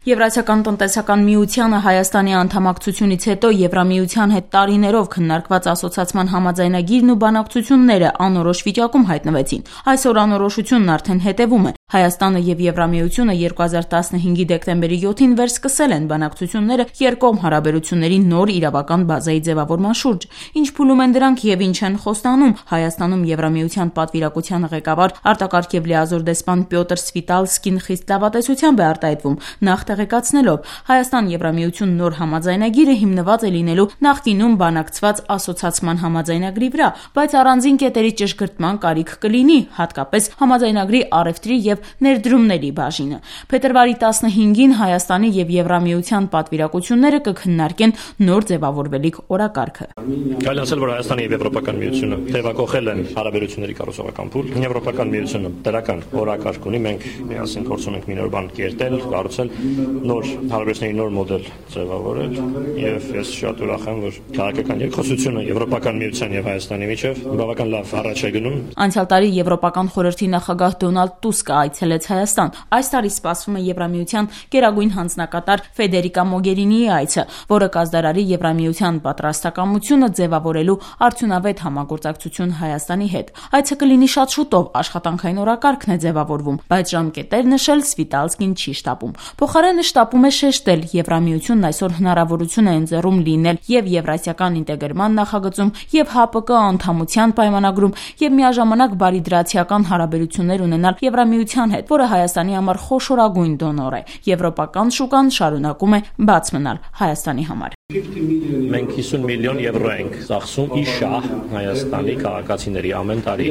Եվրասիական տնտեսական միությանը Հայաստանի անդամակցությունից հետո Եվրամիության հետ տարիներով քննարկված ասոցիացման համաձայնագիրն ու բանակցությունները անորոշ վիճակում հայտնվեցին։ Այսօր անորոշությունն արդեն հետևում է։ Հայաստանը եւ Եվրամիությունը 2015-ի դեկտեմբերի 7-ին վերսկսել են բանակցությունները երկկողմ հարաբերությունների նոր իրավական բազայի ձևավորման շուրջ։ Ինչ փուլում են դրանք եւ ինչ են խոստանում, Հայաստանում Եվրամիության պատվիրակության ղեկավար արտակարգ եւ լիազոր դեսպան Պյոտր Սվիտալսկին խիստ լավատեսությամբ է արտահայտվում, նախ տեղեկացնելով Հայաստան-Եվրամիություն նոր համաձայնագիրը հիմնված է լինելու նախկինում բանակցված ասոցիացման համաձայնագրի վրա, բայց առանձին կետերի ճշգրտման կարիք կլինի, հատկապես համաձայնագրի առևտրի եւ ներդրումների բաժինը։ Փետրվարի 15-ին Հայաստանի եւ Եվրամիության պատվիրակությունները կքննարկեն նոր ձևավորվելիք օրակարգը։ Կարելի ասել, որ Հայաստանը եւ Եվրոպական միությունը թեւակողել են հարաբերությունների կառուցողական փուլ։ Եվրոպական միությունը դրական օրակարգ ունի, մենք միասին փորձում ենք մի նոր բան կերտել, կառուցել, նոր հարաբերությունների նոր մոդել ձևավորել, եւ ես շատ ուրախ եմ, որ քաղաքական երկխոսությունը Եվրոպական միության եւ Հայաստանի միջեւ բավական լավ առաջ է գնում։ Անցյալ տարի Եվրոպական խորհրդի նախագահ Դոնալդ Տուսկը այցելեց Հայաստան։ Այս տարի սպասվում է Եվրամիության գերագույն հանձնակատար Ֆեդերիկա Մոգերինիի այցը, որը կազդարարի Եվրամիության պատրաստակամությունը ձևավորելու արդյունավետ համագործակցություն Հայաստանի հետ։ Այցը կլինի շատ շուտով, աշխատանքային օրակարգն է ձևավորվում, բայց ժամկետներ նշել Սվիտալսկին չի շտապում։ Փոխարենը շտապում է շեշտել, Եվրամիությունն այսօր հնարավորություն է ընձեռում լինել եւ Եվրասիական ինտեգրման նախագծում, եւ ՀԱՊԿ անդամության պայմանագրում, եւ միաժամանակ բարիդրացիական հարաբերություններ ունենալ Եվրամիության հետ, որը Հայաստանի համար խոշորագույն դոնոր է։ Եվրոպական շուկան շարունակում է բաց մնալ Հայաստանի համար։ Մենք 50 միլիոն եվրո ենք ծախսում իշահ Հայաստանի քաղաքացիների ամեն տարի։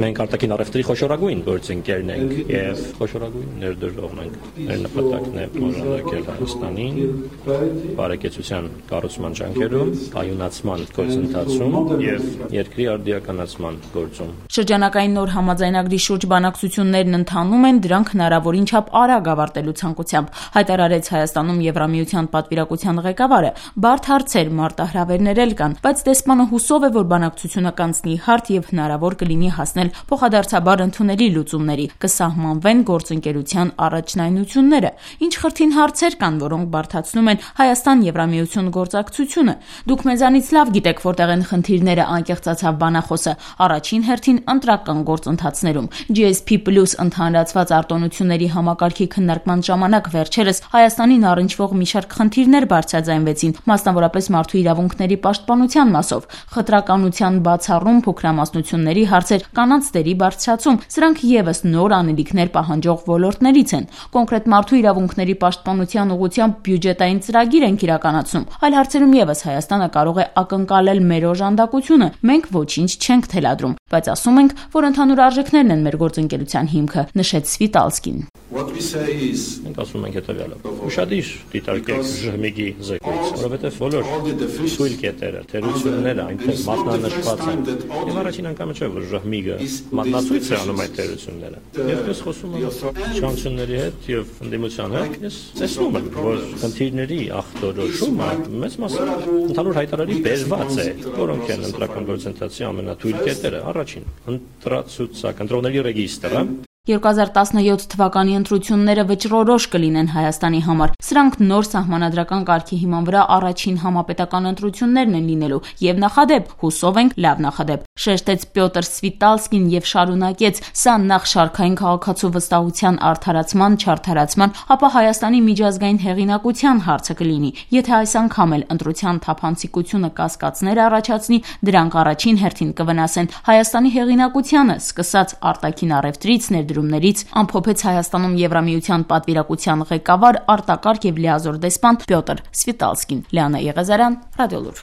Մենք արտաքին առևտրի խոշորագույն գործընկերն ենք եւ խոշորագույն ներդրողն ենք։ Մեր նպատակն է օժանդակել Հայաստանին բարեկեցության կառուցման ջանքերում, կայունացման գործընթացում եւ երկրի արդիականացման գործում։ Շրջանակային նոր համաձայնագրի շուրջ բանակցություններն ընթանում են, դրանք հնարավորին չափ արագ ավարտելու ցանկությամբ, հայտարարեց Հայաստանում Եվրամիության պատվիրակության ղեկավարը։ Բարդ հարցեր, մարտահրավերներ էլ կան, բայց դեսպանը հուսով է, որ բանակցությունը կանցնի հարթ եւ հնարավոր կլինի հասնել փոխադարձաբար ընդունելի լուծումների, կսահմանվեն գործընկերության առաջնայնությունները։ Ինչ խրթին հարցեր կան, որոնք բարդացնում են Հայաստան-Եվրամիություն գործակցությունը։ Դուք մեզանից լավ գիտեք, որտեղ են խնդիրները, անկեղծացավ բանախոսը։ Առաջին հերթին ընտրական գործընթացներում GSP+ ընդհանրացված արտոնությունների համակարգի քննարկման ժամանակ վերջերս Հայաստանին առնչվող մի շարք խնդիրներ բարձրաձայնվեցին, մասնավորապես մարդու իրավունքների պաշտպանության մասով, խտրականության բացառում, փոքրամասնությունների հարցեր, կանանց դերի բարձրացում, սրանք եւս նոր անելիքներ պահանջող ոլորտներից են։ Կոնկրետ մարդու իրավունքների պաշտպանության ուղղությամբ բյուջետային ծրագիր ենք իրականացնում։ Այլ հարցերում եւս Հայաստանը կարող է ակնկալել մեր օժանդակությունը։ Մենք ոչինչ չենք թելադրում, բայց ասում ենք, որ ընդհանուր արժեքներն են մեր գործընկերության հիմքը, նշեց Սվիտալսկին։ Մենք ասում ենք հետևյալը. ուշադիր դիտարկեք ԺՀՄԻԳ-ի զեկույց, որովհետև բոլոր թույլ կետերը, թերությունները այնտեղ մատնանշված են։ Եվ առաջին անգամը չէ, որ ԺՀՄԻԳ-ը մատնացույց է անում այդ թերությունները։ Եվ ես խոսում եմ իշխանությունների հետ եւ ընդդիմության հետ, ես տեսնում եմ, որ խնդիրների ախտորոշումը մեծ մասամբ ընդհանուր հայտարարի բերված է, որոնք են ընտրական գործընթացի ամենաթույլ կետերը։ Առաջին, ընտրողների ռեգիստրը 2017 թվականի ընտրությունները վճռորոշ կլինեն Հայաստանի համար։ Սրանք նոր սահմանադրական կարգի հիման վրա առաջին համապետական ընտրություններն են լինելու եւ նախադեպ, հուսով ենք, լավ նախադեպ, շեշտեց Պյոտր Սվիտալսկին եւ շարունակեց. սա նախ շարքային քաղաքացու վստահության արդարացման, չարդարացման, ապա Հայաստանի միջազգային հեղինակության հարցը կլինի։ Եթե այս անգամ էլ ընտրության թափանցիկությունը կասկածներ առաջացնի, դրանք առաջին հերթին կվնասեն Հայաստանի հեղինակությանը, սկսած արտաքին առևտրից, ներդրումներից, ամփոփեց Հայաստանում Եվրամիության պատվիրակության ղեկավար արտակարգ եւ լիազոր դեսպան Պյոտր Սվիտալսկին։ Լիանա Եղեզարյան, Ռադիոլուր։